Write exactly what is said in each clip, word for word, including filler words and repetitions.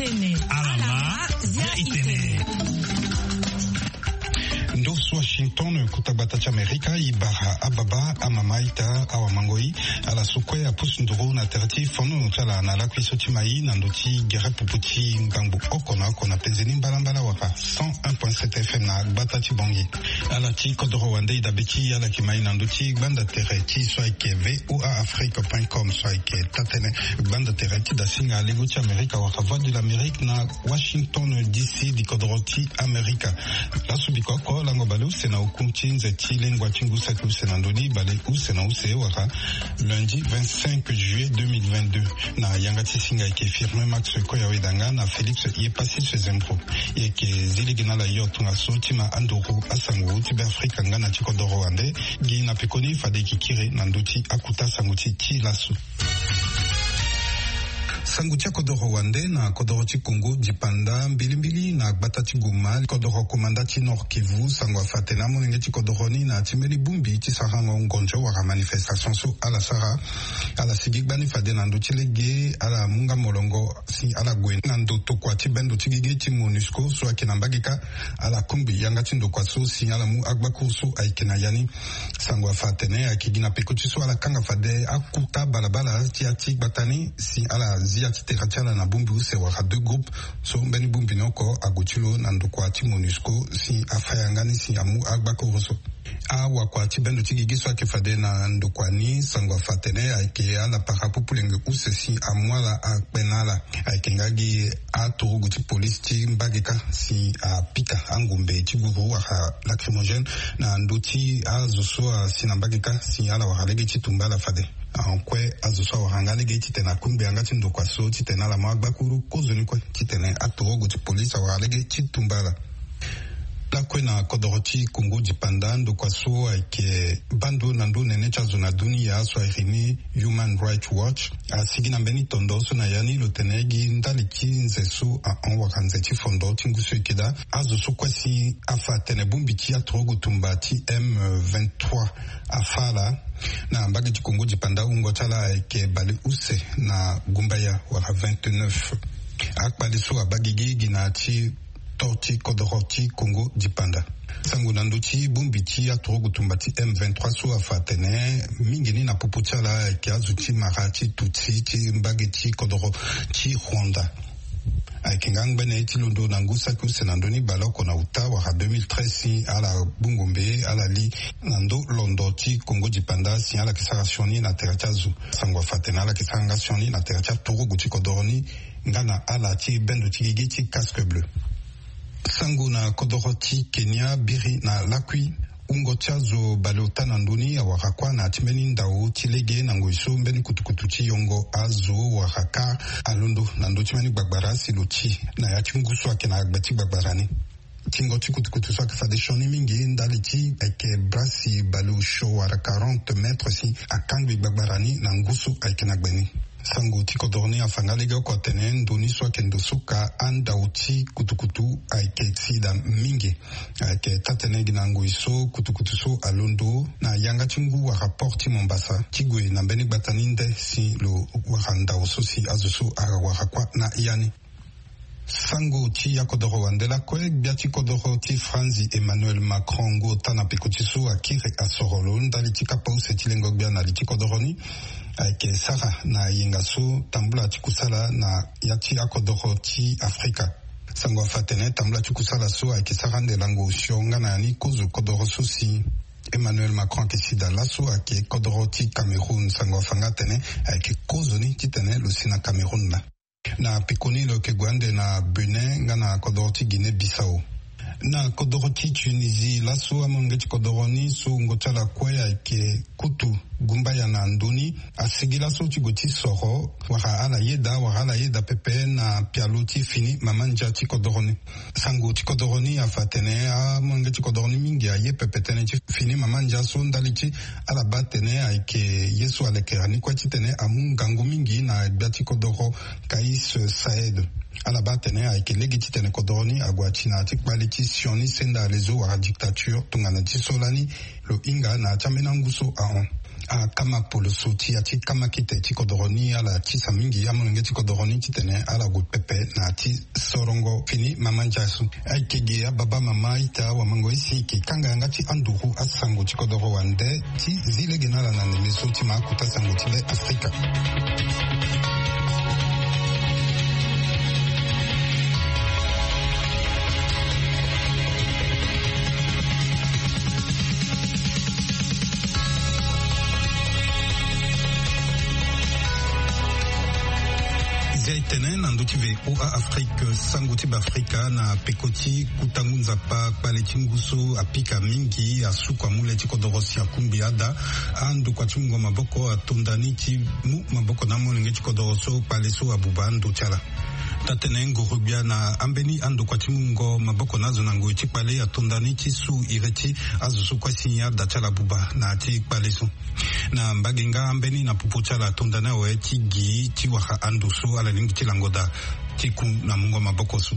Alama, zia itene. Ndo so Washington, kota gbata ti Amerika, e bara ababa, amama, ita, awamangoi, ala so kue apusu nduru na tere ti fonono ti ala na lakui so ti mai na ndo ti gere pupu ti ngangu oko na oko na penze ni mbalambala waka cent un point sept F M na gbata ti Bangui. Ala ti kodoro wande e dabe ti ala yeke mai na ndö ti gbanda tere ti so ayeke V O A Afrique point com, so ayeke taa-tënë gbanda tere ti dasinga lengo ti Amerika wala Voix de l'Amérique na Washington D C, di kodoro ti Amerika. Laso biko oko lango baleuse na oku ti nze ti lengua ti ngu saki use na ndö ni, baleuse na use wala lundi vingt-cinq juillet deux mille vingt-deux. Na yanga ti singa ayeke Firmin Max Koyawedanga na Félix Yepassis Zembro. E yeke zi lege na ala yo tongaso ti ma anduru asango ti Beafrika nga na ti kodoro wande. Gi na pekoni fade e yeke kiri na ndö ti akota sango ti e ti laso. Sango ti akodoro wande na kodoro ti Congo dipanda mbilimbili na gbata ti Goma, kodoro komanda ti Nord-Kivu, sango afa atene amolenge ti kodoro ni na ya ti mbeni bongbi ti sarango ngonzo wala manifestation so ala sara, ala sigi gbani fade na ndö ti lege ala mu nga molongo si ala gue na ndo tokua ti bendo ti gigi ti MONUSCO so ayeke na mbage kâ. Ala kungbi yanga ti ndokua so si ala mu agbakuru so ayeke na ya ni. Sango afa atene ayeke gi na peko ti so ala kanga fade akota balabala ti ya ti gbata ni si ala zi ya ti tere ti ala na bongbi use wala deux groupes. So mbeni bongbi ni oko ague ti lo na ndokua ti MONUSCO si afa yanga ni si amu agbakuru so. Awakua ti bendo ti gigi so ayeke fade na ndokua ni, sango afa atene ayeke ala para pupulenge use si amu ala akpe na ala. Ayeke nga gi aturugu ti polisi ti mbage kâ si apika angombe ti guru wala lacrymogène na ndö ti azo so asi na mbage kâ si ala wara lege ti tumba ala fade. Ahon kue azo so awara nga lege titene akungbi yanga ti ndokua so titene ala mu agbakuru kozoni kue titene aturugu ti polisi awara lege ti tumba ala. Lakue na kodoro ti Congo dipanda, ndokua so ayeke bando na ndö nene ti azo na dunia so airi ni Human Rights Watch asigi na mbeni tondo so na ya ni lo tene gi ndali ti nze so ahon wala nze ti fondo ti ngu so eke daa, azo so kue si afa atene bongbi ti aturugu tumba ti M vingt-trois afa ala. Na mbage ti Congo dipanda wungo ti ala ayeke baleuse na gumbaya wala vingt-neuf. Akpale so abaa gigi gi na ya ti to ti kodoro ti Congo dipanda. Sango na ndö ti bongbi ti aturugu tumba ti M vingt-trois so afa atene mingi ni na popo ti ala ayeke azo ti mara ti Tutsi ti mbage ti kodoro ti Rwanda. Ayeke nga ngbene ti londo na ngu saki use na ndö ni baleoko na uta wala deux mille treize si ala bongombe ala li na ndö londo ti Congo dipanda si ala yeke sara sioni na tere ti azo. Sango afa atene ala yeke sara nga sioni na tere ti aturugu ti kodoro ni nga na ala ti bendo ti gigi ti casque bleu. Sango na kodoro ti Kenya, biri na lakui, wungo ti azo baleota na ndö ni awara kuâ na ya ti mbeni ndao ti lege na ngoi so mbeni kutukutu ti yongo azo wala kâ alondo na ndö ti mbeni gbagbara si lo ti na ya ti ngu so ayeke na gbe ti gbagbara ni. Tingo ti kutukutu so ayeke fade sioni mingi ndali ti ayeke bra si baleosio wala quarante mètres si akangbi gbagbara ni na ngu so ayeke na gbe ni. Sango ti kodoro ni afa nga legeoko atene ndo ni so ayeke ndo so ka andao ti kutukutu ayeke sida mingi. Ayeke taa-tënë gi na ngoi so kutukutu so alondo na yanga ti ngu wala port ti Mombasa ti gue na mbeni gbata ni nde si lo wara ndao so si azo so awara kuâ na ya ni. Sango ti akodoro wande lakue, gbia ti kodoro ti Franzi Emmanuel Macron ngu ota na peko ti so akiri asoro lo ndali ti kapa use ti lengo gbia na li ti kodoro ni. Ayeke sara na yenga so tambula ti kusala na ya ti akodoro ti Afrika. Sango afa atene tambula ti kusala so ayeke sara ande lango osio nga na ya ni kozo kodoro so si Emmanuel Macron ayeke sida laso ayeke kodoro ti Cameroun. Sango afa nga atene ayeke kozoni titene lo si na Cameroun laa. Na pekoni lo yeke gue ande na Bénin nga na kodoro ti Guinée Bissau. Na kodoro ti Tunisie laso amolenge ti kodoro ni so wungo ti ala kue ayeke kutu gumbaya na ndö ni asigi laso ti gue ti soro wala ala yeda wala ala yeda pepe na pialo ti fini mama ndia ti kodoro ni. Sango ti kodoro ni afa atene amolenge ti kodoro ni mingi aye pepe tënë ti fini mama ndia so ndali ti ala baa atene ayeke ye so alekera ni kue titene amu ngangu mingi na gbia ti kodoro Kais Saied. Ala baa atene ayeke lege titene kodoro ni ague ati na ya ti kpale ti sioni senda alezo wala dictature tongana ti so lani lo hinga na ya ti ambeni angu so ahon. Akama poloso ti ya ti kamakite ti kodoro ni ala tisa mingi amolenge ti kodoro ni titene ala gue pepe na ya ti sorongo fini mama ndia so. Ayeke gi ababa mama ita wamango isi eke kanga yanga ti anduru asango ti kodoro wande ti zi lege na ala na ndembe so ti ma akota sango ti be Afrika. Zia e tene na ndö ti V O A Afrique, sango ti Bafrika na peko ti kutangu nzapa kpale ti ngu so apika mingi, asuku amu le ti kodoro si akungbi ada. Andokua ti mungo maboko atonda ni ti mu maboko na amolenge ti kodoro so kpale so abuba ando ti ala. Taa-tene ngorogbia na ambeni andokua ti mungo maboko na azo na ngoi ti kpale atonda ni ti su iri ti azo so kue si nyen ada ti ala buba na ya ti kpale so. Na mbage nga ambeni na popo ti ala atonda ni awe ti gi ti wara ando so ala lingbi ti lango daa ti ku na mungo maboko so.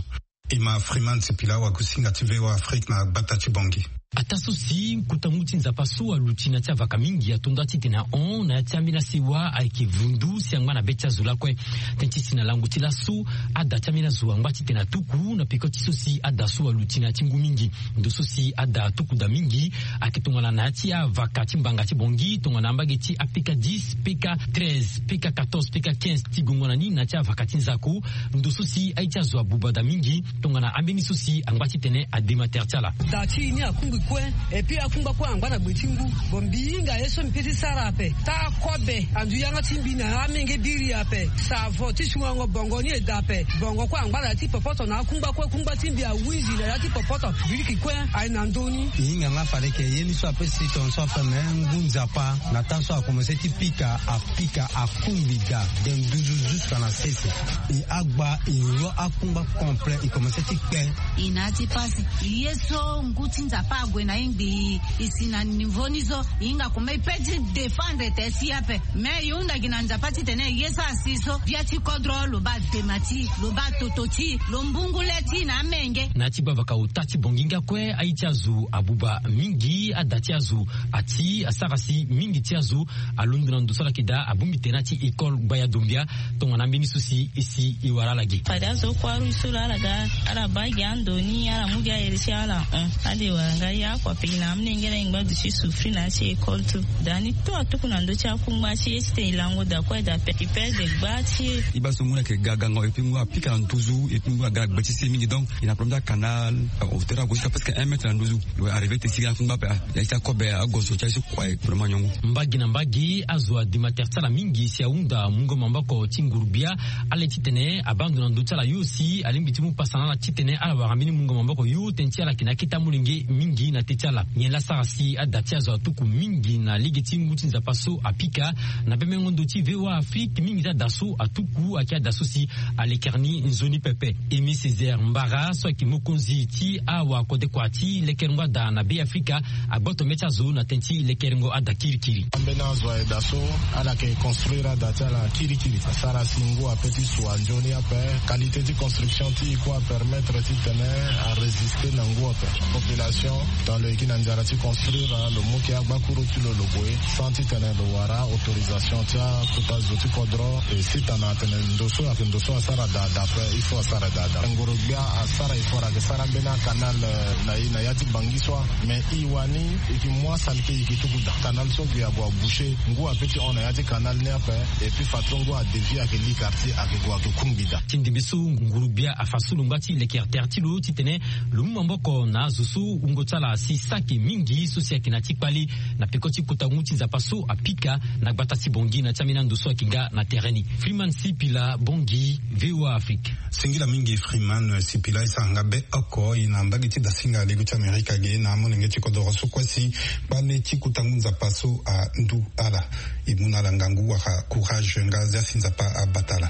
E ma Freeman Sipila, wagosinga ti V O A Afrique na gbata ti Bangui. Ataa so si kota ngu ti nzapa so aluti na ya ti avaka mingi atonda titene ahon na ya ti ambeni asewa ayeke vundu si angba na be ti azo lakue. Tënë ti si na lango ti laso, ada ti ambeni azo angba titene atuku na peko ti so si ada so aluti na ya ti ngu mingi. Ndo so si ada atuku daa mingi ayeke tongana na ya ti avaka ti mbanga ti Bangui tongana mbage ti A P K dix, P K treize, P K quatorze, P K quinze ti gongo na ni na ya ti avaka ti nzako. Ndo so si aye ti azo abuba daa mingi tongana ambeni so si angba titene adematere ti ala. Da ti e ni akungbi kue, et puis akungba kue angba na gbe ti ngu. Bon, mbi hinga ye so mbi pe ti sara ape. Taa kobe andu yanga ti mbi na amenge biri ape. Savo ti sungango bongo ni e daa ape. Bongo kue angba na ya ti popoto na akungba kue, kungba ti mbi awizi na ya ti popoto. Biriki kue aye na ndö ni. E hinga nga fade ke ye ni so ape si tongaso ape, me ngu nzapa na taa so akomanse ti pika, apika, akungbi daa. Den nduzu jusqu'à na sese. E agba, e yo akungba complet, e komanse ti kpe. E na ya ti pasi. Ye so ngu ti nzapa ague na e ngbii, e si na niveau ni so, e hinga koma e pe ti défendre tere ti e ape. Mais e hunda gi na nzapa titene ye so asi so, bia ti kodro lo baa dema ti e, lo baa toto ti e, lo mbungu le ti e na amenge. Na ya ti gbavaka ota ti Bangui nga kue, aye ti azo abuba mingi, ada ti azo ati asara si mingi ti azo alondo na ndo so ala yeke daa, abongbi tene na ya ti école Gbaya Dombia. Tongana mbeni so si e si e wara ala ge. Fade azo kue aru e so laa ala ga, ala baa gi ando ni, ala mu gi ahere ti ala hon. Ade wara nga ya kua pe e na amolenge na e ngba duti souffrir na ya ti école tout. Da ni tout atuku na ndö ti akungba ti e titene e lango daa kue daa ape. E perdre gba ti e. E baa so ngu ni ayeke ga gango, et puis ngu apika na nduzu, et puis ngu aga na gbe ti se mingi, donc e na problème ti acanal. Hauteur ague jusqu'à presque un mètre na nduzu. Lo arrivé te si akungba ape, ah, ya ti akobe agonso ti aye so kue vraiment nyongo. Mbage na mbage azo adematere ti ala mingi si ahunda mungo maboko ti nguru-gbia. Ala ye titene abaa ndo na ndö ti ala yo si alingbi ti mu pasa na ala titene ala wara mbeni mungo maboko yo, tënë ti ala yeke na akete amolenge mingi na tënë ti ala. Nyen laa asara si ada ti azo atuku mingi na lege ti ngu ti nzapa so apika? Na bemengo ndo ti V O A Afrique, mingi ti ada so atuku ayeke ada so si alekere ni nzoni pepe. Aimé Césaire Mbara so ayeke mokonzi ti awakodekua ti lekerengo ada na Be Afrika agboto mê ti azo na tënë ti lekerengo ada kirikiri. Ambeni azo aye daa so ala yeke construire ada ti ala kirikiri. Asara si ngu ape ti sua nzoni ape. Qualité ti construction ti e kue apermettre titene arésister na ngu ape. Population, tant lo yeke na nzara ti construire, lo mu ke agbakuru ti lo, lo gue sans titene lo wara autorisation ti akota zo ti kodro. E si tana atene ndo so ayeke ndo so asara daa daa ape, il faut asara daa daa. Ngoro-gbia asara effort ayeke sara mbeni acanal, eh, na e na ya ti Bangui so. Mais e wani e yeke mu asalite, e yeke tuku daa. Canal so gi ague aboucher, ngu ape ti hon na ya ti canal ni ape. Et puis fadeso ngu adévier ayeke li quartier, ayeke gue ayeke kungbi daa. Ti ndembe so nguru-gbia afa so lo ngba ti lekere tere ti lo titene lo mu maboko na azo so wungo ti ala asi saki mingi so si ayeke na ya ti kpale na peko ti kota ngu ti nzapa so apika na gbata ti Bangui na ya ti ambeni ando so ayeke nga na tere ni. Freeman Sipila, Bangui, V O A Afrique. Singila mingi Freeman Sipila. E sara nga be oko e na mbage ti dasinga lego ti Amerika ge na amolenge ti kodoro so kue si kpale ti kota ngu nzapa so andu ala. E mu na ala ngangu wala courage, nga zia si Nzapa abata ala.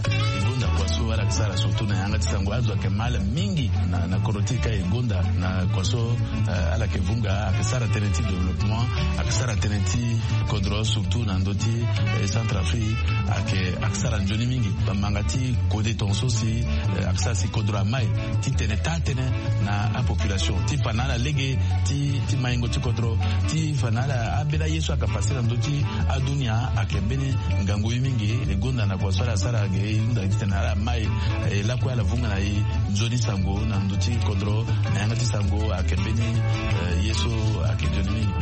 E gonda kua so ala yeke sara surtout na yanga ti sango, azo ayeke mal mingi na, na kodro ti e ka e gonda na kua so, eh, ala yeke vunga, ayeke sara tënë ti développement, ayeke sara tënë ti kodro surtout na ndö ti, eh, Centrafrique. Ayeke asara nzoni mingi bamanga ti kode tonga so si ayeke sara si kodro amai ti tene taa-tënë na apopulation ti fa na ala lege ti maingo ti kodro ti fa na ala ambeni aye so ayeke pase na ndö ti adunia ayeke mbeni ngangu ye mingi. E gonda na kua so ala sara ayeke e hunda ti tene ala mai e lakue ala vunga na e nzoni sango na ndö ti kodro na yanga ti sango ayeke mbeni ye so ayeke nzoni mingi.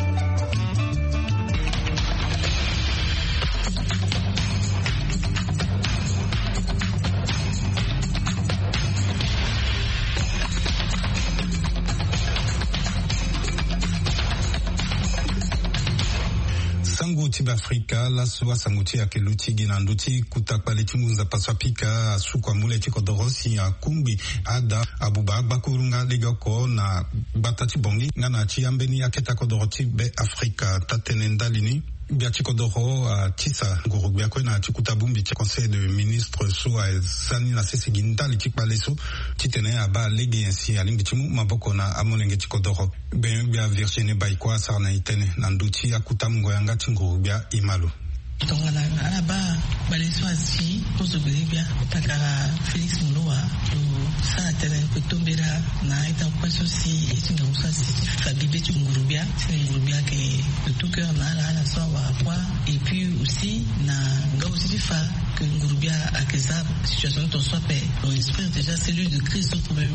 Sango ti Beafrika laso asango ti e ayeke luti gi na ndö ti kuta kpale ti ngu nzapa so apika asuku amule ti kodoro si akungbi ada abuba agbakuru nga legeoko na gbata ti Bangui nga na ti ambeni aketa kodoro ti Beafrika. Taa-tënë ndali ni gbia ti kodoro atisa nguru-gbia kue na ya ti kuta bongbi ti Conseil de ministre so aza ni na sese gi ndali ti kpale so titene abaa lege nyen si alingbi ti mu maboko na amolenge ti kodoro. Gbenyo-gbia Virginie Baïkoua asara na e tënë na ndö ti akuta mungo yanga ti nguru-gbia. E ma lo. Tongana ala baa kpale so asi kozo gbele-gbia, takara Félix Moloua lo sara tënë, lo tombela na a-ita kue so si e ti ngangu so asi ti fa bibe ti nguru-gbia, ti nguru-gbia ayeke de tout cœur na ala, ala so awara kuâ. Et puis aussi na nga aussi ti fa ke nguru-gbia ayeke za situation ni tongaso ape. Lo inspire déjà cellule de crise so premier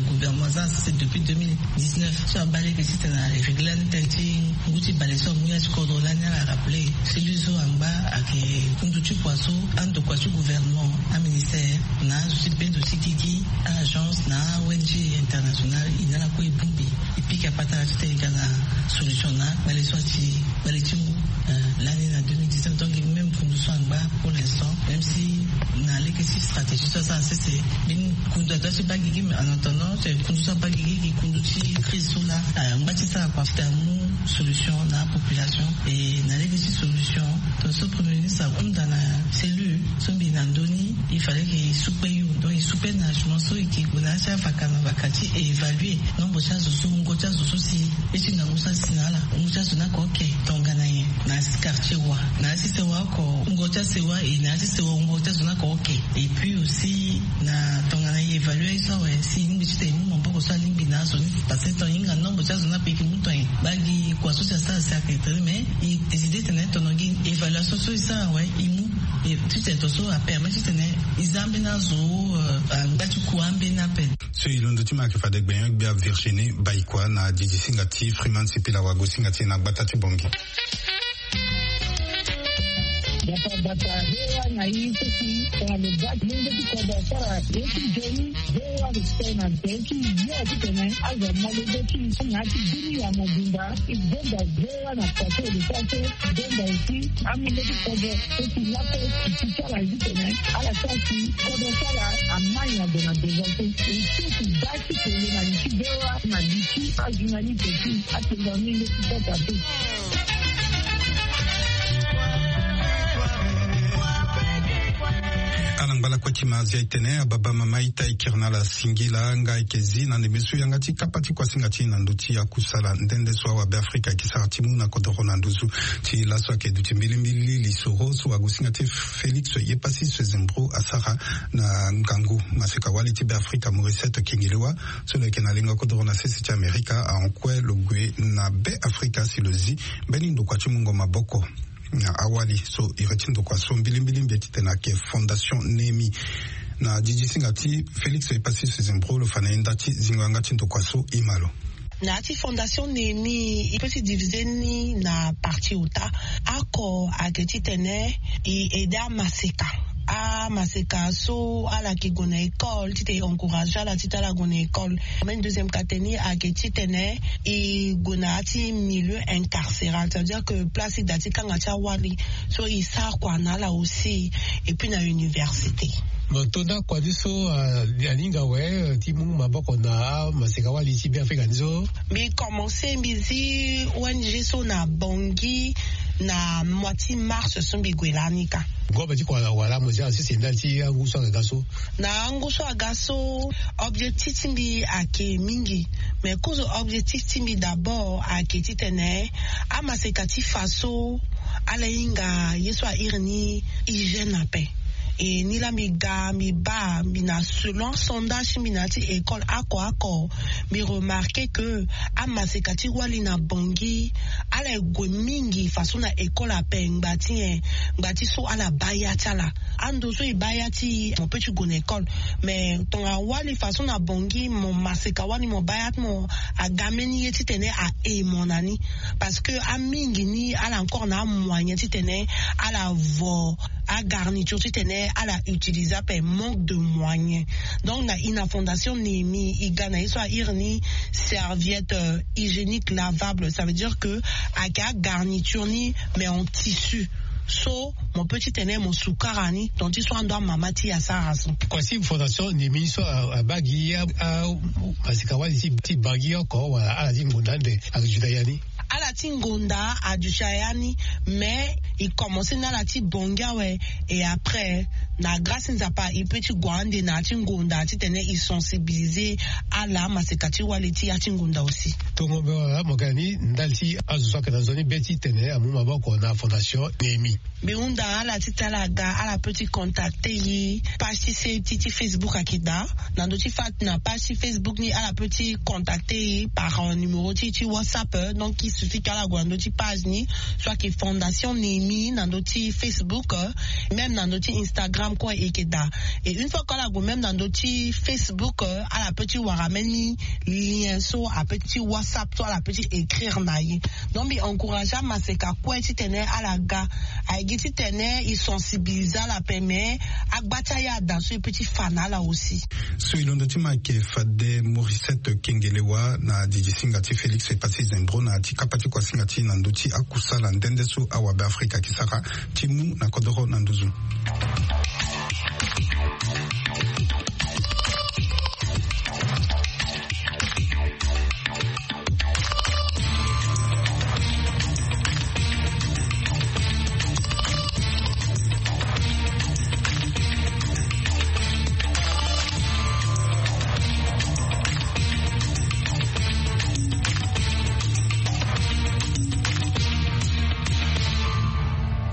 gouvernement aza na sese depuis deux mille dix-neuf so abaa lege titene a régler ani tënë ti ngu ti bale so amu ya ti kodro lani. Ala rappeler cellule so angba ayeke kundu ti kua so andokua ti gouvernement, aministère na azo ti bendo ti gigi, a-agence na a-ONG internationale, e na ala kue e bongbi e pika patara titene e ga na solution na akpale so ati kpale ti ngu lani na deux mille dix-neuf. Donc même kundu so angba pour l'instant, même si na lege ti stratégie so aza na sese, mbeni kundu adoit ti baa gigi, mais en attendant titene kundu so abaa gigi gi kundu ti crise so laa angba ti sara kua titene amu solution na apopulation. E na lege ti solution tongaso premier ministre ahunda na cellule so mbi na ndö ni, il fallait que e sukpe yo. Donc e sukpe na agement so e ke gue na ya ti avaka na vaka ti e évaluer nombre ti azo so, wungo ti azo so si e ti ngangu so asi na ala, wungo ti azo ni ayeke oke tongana nyen na quartier wa, na ya ti sewa oko wungo ti asewa, e na ya ti sewa wungo ti azo ni ayeke oke. Et puis aussi na tongana e évaluer ye so awe si e lingbi titene e mu maboko so alingbi na azo ni, parce que ton hinga nombre ti azo ni ape e ke mu ton nyen. Baa gi kua so si asara si ayeke tere, mais e décider titene tono gi évaluation so e sara awe e mu titene tongaso apermet titene e za ambeni azo angba ti kua ambeni ape. So e londo ti ma ayeke fade gbenyo-gbia Virginie Baïkoua na didi singa ti Freeman Sipila, wago singa ti e na gbata ti Bangui. Bata bata, VOA na i so si tongana lo baa ti lenge ti kodro asara ye ti nzoni, VOA lo si tene na nze ti yo titene azo amolenge ti na ya ti bini ya mobimba. E gonda VOA na kua so e lo sara so, e gonda aussi amolenge ti kodro so si lakue e ti sara titene ala sara si kodro ti ala amai na gue na devant so. E so si baa ti kele na li ti VOA na li ti ajournaliste ti atenda mingi ti kota so. Ala ngba lakue ti ma azia e tene ababa mama ita e kiri na ala singila nga e yeke zi na ndembe so yanga ti kapa ti kuasinga ti e na ndö ti akusala nde nde so awa Beafrika ayeke sara ti mu na kodoro na nduzu ti laso ayeke duti mbilimbili lisoro so wagosinga ti Félix Yepassis Zembro asara na ngangu maseka wali ti Beafrika Morisset Kingelewa so lo yeke na lenga kodoro na sese ti Amerika ahon kue lo gue na Beafrika si lo zi mbeni ndokua ti mungo maboko. Na awali so iri ti ndokua so mbilimbili mbi ye titene ayeke Fondation Nehemi. Na didi singa ti Félix Yepassis Zembro lo fa na e nda ti zingo yanga ti ndokua so. E ma lo. Na ya ti Fondation Nehemi e peut ti diviser ni na partie ota. Oko ayeke titene e aider amaseka, amaseka so ala yeke gue na école titene e encourager ala titene ala gue na école. Même deuxième catégorie ayeke titene e gue na ya ti milieu incarcéral, c'est-à-dire que place ti da ti kanga ti awali so e sara kua na ala aussi. Et puis na université. Mo to nda kua ni so ahinga awe ti mu maboko na amaseka wali ti Beafrika ni so. Mbi commencer mbi zi ONG so na Bangui na mois ti mars so mbi gue lani ka. Ngombe ti kua wala mo zi ala sese ndali ti angu so aga so. Na angu so aga so objectif ti mbi ayeke mingi. Mais kozo objectif ti mbi d'abord ayeke titene amaseka ti fa so Ala hinga ye so a iri ni hygiène ape. E ni laa mbi ga mbi baa mbi na selon sondage ti mbi na ya ti école oko oko, mbi remarqué que amaseka ti wali na Bangui ala e gue mingi façon na école ape. Ngba ti nyen? Ngba ti so ala baa ya ti ala. Ando so e baa ya ti mo pe ti gue na école. Mais tongana wali façon na Bangui mo maseka wali mo baa ya ti mo aga mbeni ye titene a e mo na ni. Parce que amingi ni ala encore na amoyen titene ala vo agarniture titene ala utiliser ape, manque de moyen. Donc na ina fondation Némi e ga na ye so a iri ni serviette hygiénique lavable, ça veut dire que ayeke agarniture ni mais en tissu. So mo pe titene mo sukara ni donc ti so ando amama ti e asara so. Kua si fondation Némi so abaa gi amaseka wali ti baa gi oko wala ala ti ngonda ande aduti na ya ni? Ala ti ngonda aduti na ya ni. Mais e commencer na ala ti Bangui awe. Et après na grâce ti Nzapa e pe ti gue ande na ya ti ngonda titene e sensibiliser ala amaseka ti wali ti ya ti ngonda aussi. Tongo be wala mo ga ni ndali ti azo so ayeke na nzoni be titene amu maboko na fondation Némi. Mbi hunda ala titene ala ga ala pe ti contacter e page ti Facebook ayeke daa. Na ndö ti fa na page ti Facebook ni ala pe ti contacter e par numéro ti e ti WhatsApp. Donc il suffit que ala gue na ndö ti page ni so ayeke fondation Némi na ndö ti Facebook, même na ndö ti Instagram kue e yeke daa. Et une fois que ala gue même na ndö ti Facebook, ala pe ti wara même ni lien so ape ti WhatsApp so ala pe ti écrire na e. Donc mbi encourager amaseka kue titene ala ga. Aye gi titene e sensibiliser ala ape mais agba ti ayada so e pe ti fa na ala aussi. So e londo ti ma ayeke fade Mauricette Kengelewa na didisinga ti Félix Epassi Zembro na ya ti kapa ti kuasinga ti e na ndö ti akusala nde nde so awabe Afrika ayeke sara ti mu na kodoro na nduzu.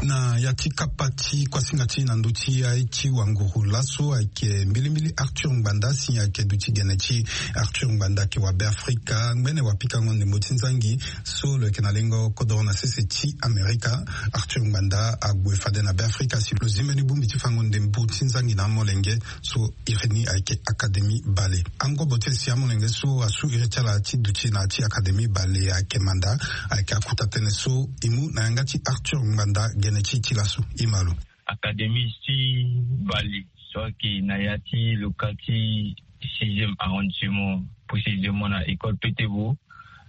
Na ya ti kapa ti kuasinga ti e na ndö ti aye ti wanguru laso ayeke mbilimbili Arthur Ngbanda si ayeke duti gene ti Arthur Ngbanda ayeke wabe Afrika ngbene wapikango ndembo ti nzangi so lo yeke na lengo kodoro na sese ti Amerika. Arthur Ngbanda ague fade na Beafrika si lo zi mbeni bongbi ti fango ndembo ti nzangi na amolenge so iri ni ayeke Académie Bale. Angobo ti e si amolenge so asu iri ti ala ti duti na ya ti Académie Bale ayeke manda, ayeke akuta tënë so e mu na yanga ti Arthur Ngbanda gene ti e ti laso. E ma lo. Académie ti Bale so ayeke na ya ti loka ti sixième arrondissement, précisément na école Petebo,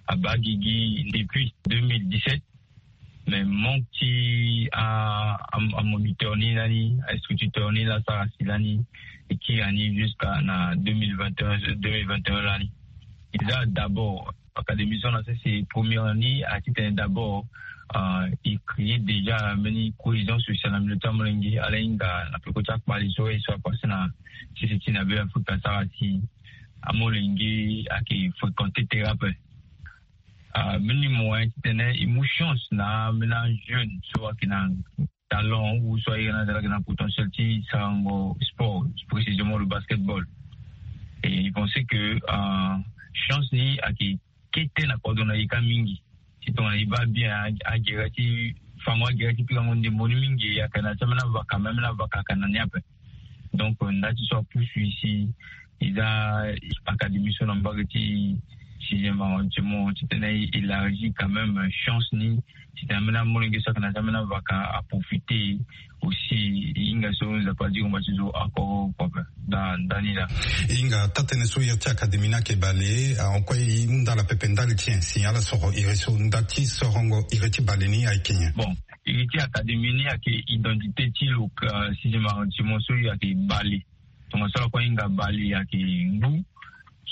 abaa gigi depuis deux mille dix-sept. Mais manque ti a, a, amoniteur ni lani, ainstituteur ni laa asara si lani, e kiri ani jusqu'à na deux mille vingt et un, deux mille vingt et un lani. E za d'abord Académie so na sese première ni, a titene d'abord, euh, e créer déjà mbeni cohésion sociale na milieu ti amolenge. Ala hinga na peko ti akpali so e so apase na sese ti na Beafrika asara si amolenge ayeke fréquenter terrain ape. Ah, mbeni moyen titene e mu chance na mbeni ajeune so ayeke na talent ou so aye na zala ayeke na potentiel ti sarango sport, précisément le basketball. Et je pensais que, euh, chance ni ayeke kete na kodro na e kâ mingi. Si tongana e baa bien a, agere ti fango, agere ti pikango ndembo ni mingi, ayeke na ti ambeni avaka, même na avaka ayeke na ni ape. Donc, euh, nda ti so apusu e si e za académie so na mbage ti sixième arrondissement titene e élargi quand même chance ni titene ambeni amolenge so ayeke na ti ambeni avaka aprofiter aussi. E hinga so Nzapa azi ngomba ti zo akoro kua ape. Nda, nda ni laa. E hinga taa-tënë so iri ti académie ni ayeke bale, ahon kue e hunda ala pepe ndali ti nyen si ala soro iri so, nda ti sorongo iri ti bale ni ayeke nyen? Bon, iri ti académie ni ayeke identité ti lo, euh, sixième arrondissement so e ayeke bale. Tongaso ala kue ahinga bale ayeke ngu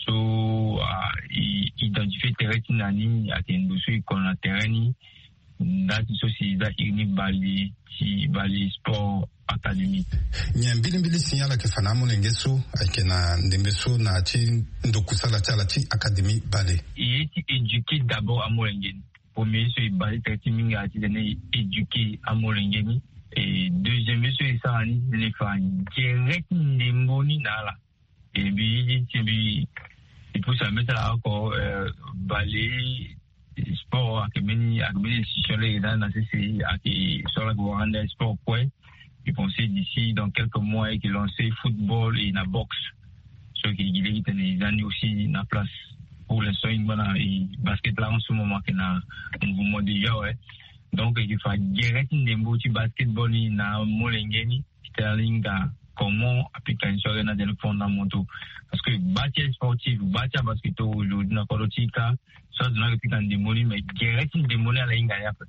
so, ah, e identifier tere ti na ni ayeke ndo so e kolo na tere ni. Nda ti so si e za iri ni bale ti bale sport académie. Nyen mbilimbili si ala yeke fa na amolenge so ayeke na ndembe so na ya ti ndokusala ti ala ti académie bale? E ye ti éduquer d'abord amolenge ni. Premier ye so e base tere ti mingi ala titene e éduquer amolenge ni. E deuxième ye so e sara ni titene e fa gere ti ndembo ni na ala. E mbi ye ti mbi e pousse ambe ti ala oko bale sport ayeke mbeni ayeke mbeni institution lege na na sese ayeke so ala yeke wara ande sport kue. E pense d'ici dans quelques mois e yeke lancer football et na boxe. So e yeke gi lege titene e za ni aussi na place. Pour l'instant e ngba na e basket la en ce moment ayeke na mouvement déjà ouais. Donc e yeke fa gere ti ndembo ti basketball ni na amolenge ni titene ala hinga comment apika ni so ayeke na tene fondamentaux. Parce que gba ti asportif gba ti abasketo aujourd'hui na kodro ti e ka so azo ni ayeke pika ndembo ni mais gere ti ndembo ni ala hinga ni ape.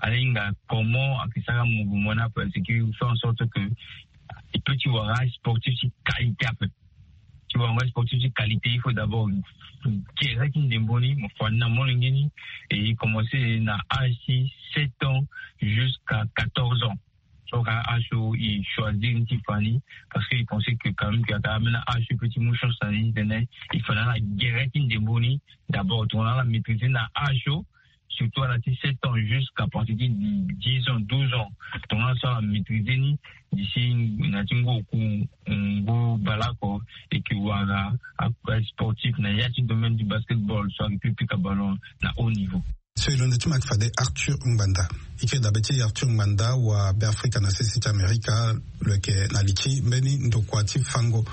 Ala hinga comment ayeke sara mouvement ni ape c'est que faire en sorte que e peut ti wara sportif ti qualité ape. Ti wara sportif ti qualité il faut d'abord gere ti ndembo ni mo fa ni na molenge ni. Et e commence na âge ti sept ans jusqu'à quatorze ans. So ka âge so e choisir ni ti fa ni parce que e pense que quand même que ata ambeni âge so e peut ti mu chance na ni titene e fa na ala gere ti ndembo ni. D'abord tongana ala maîtriser na âge so surtout ala ti sept ans jusqu'à partir ti dix ans douze ans. Tongana so ala maîtriser ni d'ici na ti ngu oku ngu baleoko e yeke wara asportif na ya ti domaine du basketball so ayeke pu pika ballon na haut niveau. So e londo ti ma yeke fade Arthur Ngbanda. E kiri dabe ti Arthur Ngbanda wa Beafrika na sese ti Amerika. Lo yeke na li ti mbeni ndokua ti fango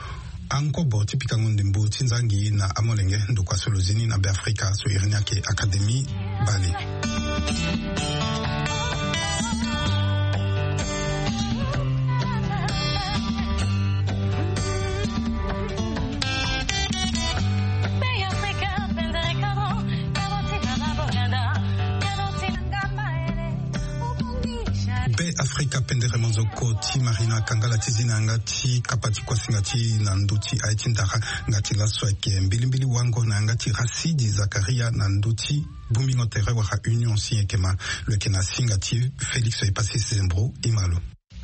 angobo ti pikango ndembo ti nzangi na amolenge ndokua so lo zi ni na Beafrika so iri ni ayeke Académie Bale. Be Afrika pendere monzoko ti Marina Kangala ti zi na yanga ti kapa ti kuasinga ti na ndö ti aye ti ndara. Nga ti laso ayeke mbilimbili wango na yanga ti Rasidi Zakaria na ndö ti bongbingo tere wala Union si yeke ma lo yeke na singa ti Félix Epassi Sembro. E ma lo.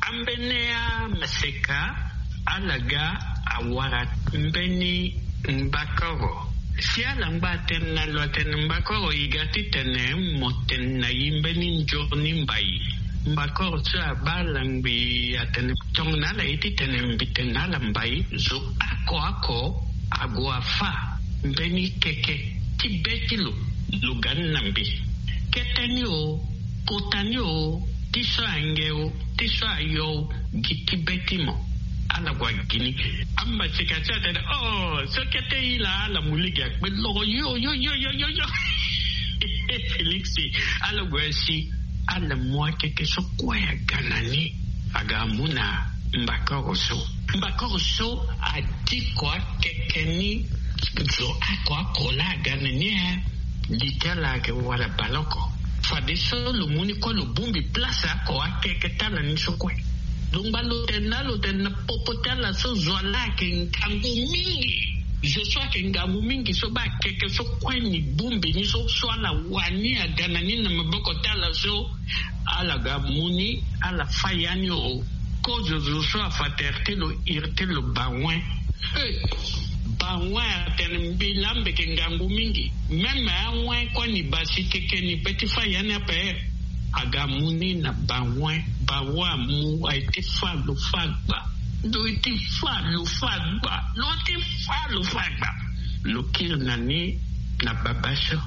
Ambeni amaseka ala ga awara mbeni mbakoro. Si ala ngba atene na lo atene mbakoro e ga titene mo tene na e mbeni nzoni mbai. Mbakoro so abaa ala ngbii atene tongana ala ye titene mbi tene na ala mbai zo oko oko ague afa mbeni keke ti be ti lo. Lo ga ni na mbi kete ni o kota ni o ti so ange o ti so ayo o gi ti be ti mo. Ala gue agi ni. Amaseka ti atene oh so kete i laa ala mu lege akpe loro yo yo yo yo yo yo. Félix ala gue asi ala mu akeke so kue aga na ni. Aga amu na mbakoro so mbakoro so adiko akeke ni. Zo oko oko laa aga na ni e. Li ti ala ayeke wala baleoko. Fadeso lo mu ni kue lo bongbi place oko akeke ti ala ni so kue. Lo ngba lo tene na lo tene na popo ti ala so zo ala ayeke ngangu mingi. Zo so ayeke ngangu mingi so baa akeke so kue ni bongbi ni so so ala wani aga na ni na maboko ti ala so. Ala ga mu ni ala fâ ya ni o. Kozo zo so afa tere ti lo iri ti lo bawen. Bawen atene mbi laa mbi yeke ngangu mingi. Meme awen kue ni basi keke ni pe ti fâ ya ni ape. Aga mu ni na bawen. Bawen amu aye ti fâ lo fâ gba. Lo ye ti fâ lo fâ gba. Lo ye ti fâ lo fâ gba. Lo kiri na ni na baba so.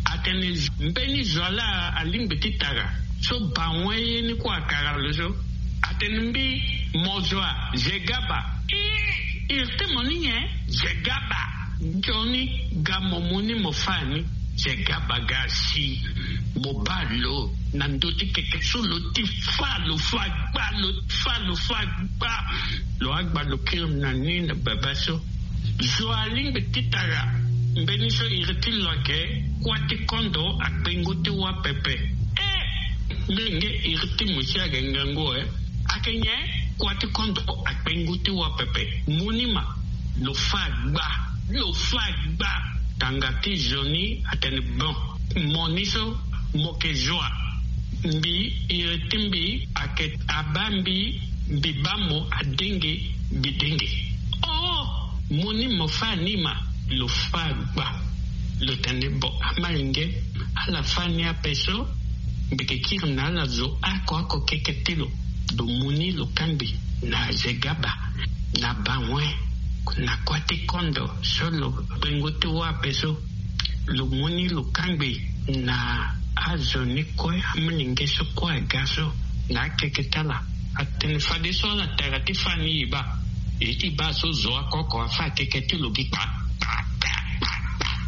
Atene mbeni zo ala alingbi ti tara so bawen ye ni kue akara lo so. Atene mbi mo zo a? Zegaba. Iri ti mo ni nyen? Zegaba. Nzoni ga mo mu ni mo fâ ni. Zegaba ga si mo baa lo na ndö ti keke so lo ti fâ lo fâ gba lo fâ lo fâ gba. Lo agba lo kiri na ni na baba so. Zo alingbi ti tara mbeni so iri ti lo ayeke kuâ ti kondo akpengu ti wâ pepe. E mbi nge iri ti mo si ayeke ngangu e. Ayeke nyen? Kuâ ti kondo akpengu ti wâ pepe. Mu ni ma. Lo fâ gba. Lo fâ gba. Tanga ti zo ni atene bon. Mo ni so mo yeke zo a? Mbi iri ti mbi ayeke abaa mbi. Mbi baa mo adenge. Mbi denge. Oh. Mo ni mo fâ ni ma. Lo fâ gba. Lo tene bon amalenge. Ala fâ ni ape so, mbi yeke kiri na ala zo oko oko keke ti lo. Lo mu ni lo kangbi na Zegaba, na Bawen, na kuâ ti kondo so lo gbengo ti wâ ape so. Lo mu ni lo kangbi na azo ni kue, amolenge so kue aga so, na akeke ti ala. Atene fadeso ala tara ti fâ ni e baa. E ti baa so zo oko oko afâ akeke ti lo gi kpa, kpa, kpa, kpa,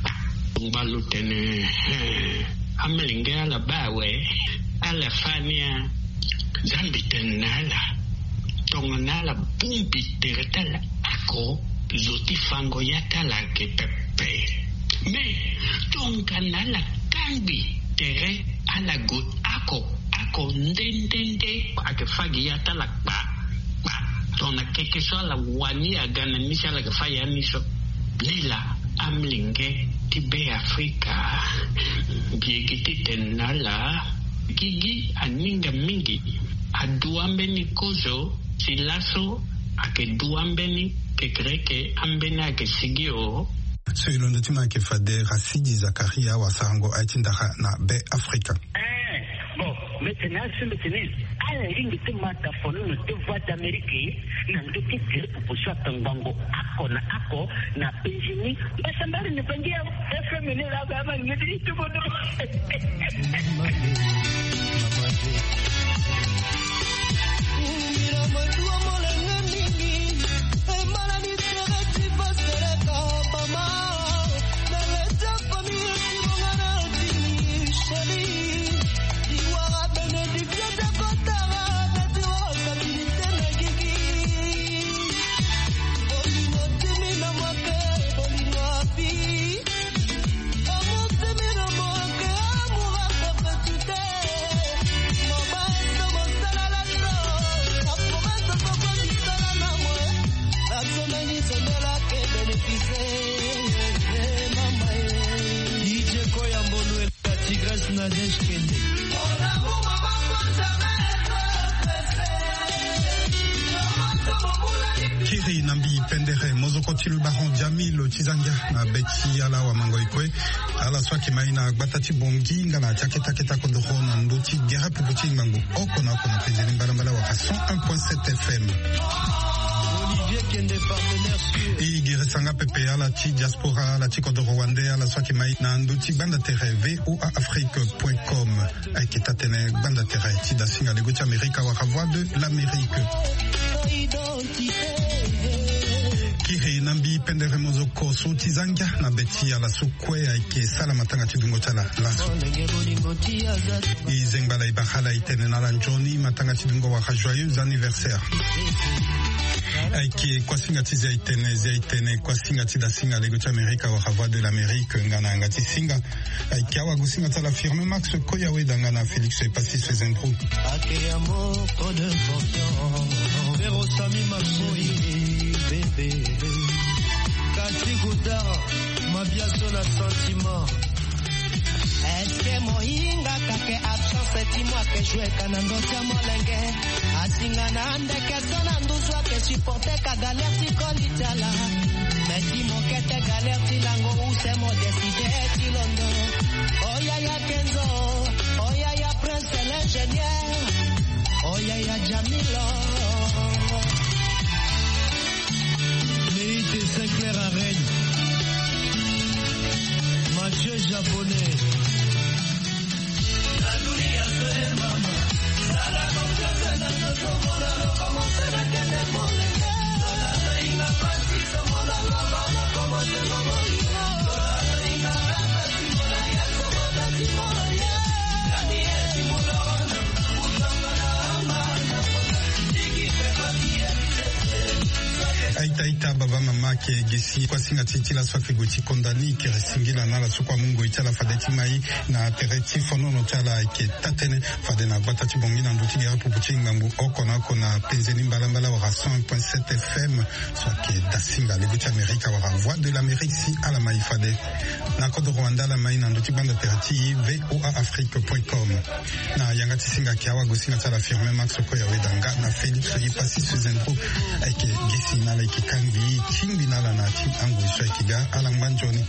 kpa. Ngba lo tene, eh, amolenge ala baa awe, ala fâ ni a. Nzambi tene na ala, tongana ala bongbi tere ti ala oko, zo ti fango ya ti ala ayeke pepe. Me tongana ala kangbi tere, ala gue oko oko nde nde nde, ayeke fâ gi ya ti ala kpa kpa. Tongana keke so ala wani aga na ni si ala yeke fâ ya ni so. Lila, amolenge ti Beafrika, mbi yeke ti tene na ala, gigi aninga mingi. Adu ambeni kozo, ti laso ayeke du ambeni kekereke, ambeni ayeke sigi o. So e londo ti ma ayeke fade Rasidi Zakaria, wasarango aye ti ndara na Beafrika. Eh, bon, mbi tene asi, mbi tene ala lingbi ti ma ta fonono ti Voix d'Amérique na ndö ti tere popo so atongbango oko na oko na penzi ni. Mbasambala ni bangi ya F M ni la ba ma ni ti tubodo. Kiri na mbi pendere mozoko ti lo Baron Jamil ti Zangia na be ti ala wamango e kue. Ala so ayeke ma e na gbata ti Bangui nga na ya ti akete akete akodoro na ndö ti gere popo ti ngbangbo oko na oko na penze ni mbalambala wala cent un point sept F M. Olivier Kende, partenaire sûr. E gere sanga pepe ala ti diaspora, ala ti kodoro wande, ala so ayeke ma e na ndö ti gbanda tere V O A Afrique point com. Ayeke taa-tënë gbanda tere ti dasinga lego ti Amerika wala Voix de l'Amérique. Kiri na mbi pendere mozoko so ti Zangia na be ti ala so kue ayeke sala matanga ti dungo ti ala laso. E zengba ala, e bara ala, e tene na ala nzoni matanga ti dungo wala joyeux anniversaire. Ayeke kuasinga ti Zia-e-tene, Zia-e-tene, kuasinga ti dasinga lego ti Amerika wala Voix de l'Amérique, nga na yanga ti singa. Ayeke awagosinga ti ala Firmin Max Koyaweda nga na Félix Epasis Zendro. Pero Sami Masoi, bébé. Kati Godard, Mabiaso na sentiment. Est-ce que mohinga kake absence ti mo ayeke jouer ka na ndö ti amolenge? Asinga na ndeke so na nduzu ayeke supporter ka galère ti koli ti ala. Mais ti mo kete galère ti lango use mo décider ti londo. Oh yaya Kenzo, oh yaya Prince l'ingénieur, oh yaya Jamilo. Meite Sinclair Arène, Mathieu Japonais. Aita, aita, baba, mama, ayeke gi si kuasinga ti e ti laso ayeke gue ti konda ni, kiri singila na ala so kue amu ngoi ti ala fade ti ma e na tere ti fonono ti ala. Ayeke taa-tënë fade na gbata ti Bangui na ndö ti gere popo ti ngbangbo oko na oko na penze ni mbalambala wala cent un point sept F M. So ayeke dasinga lego ti Amerika wala Voix de l'Amérique si ala ma e fade. Na kodoro wande ala ma e na ndö ti gbanda tere ti V O A Afrique point com. Na yanga ti singa ayeke awagosinga ti ala Firmin Max Koyaweda nga na Félix Epasis Zendro. Ayeke gi si na ala, e yeke kangbi e, tingbi na ala na ya ti angoi so ayeke ga. Ala ngba nzoni.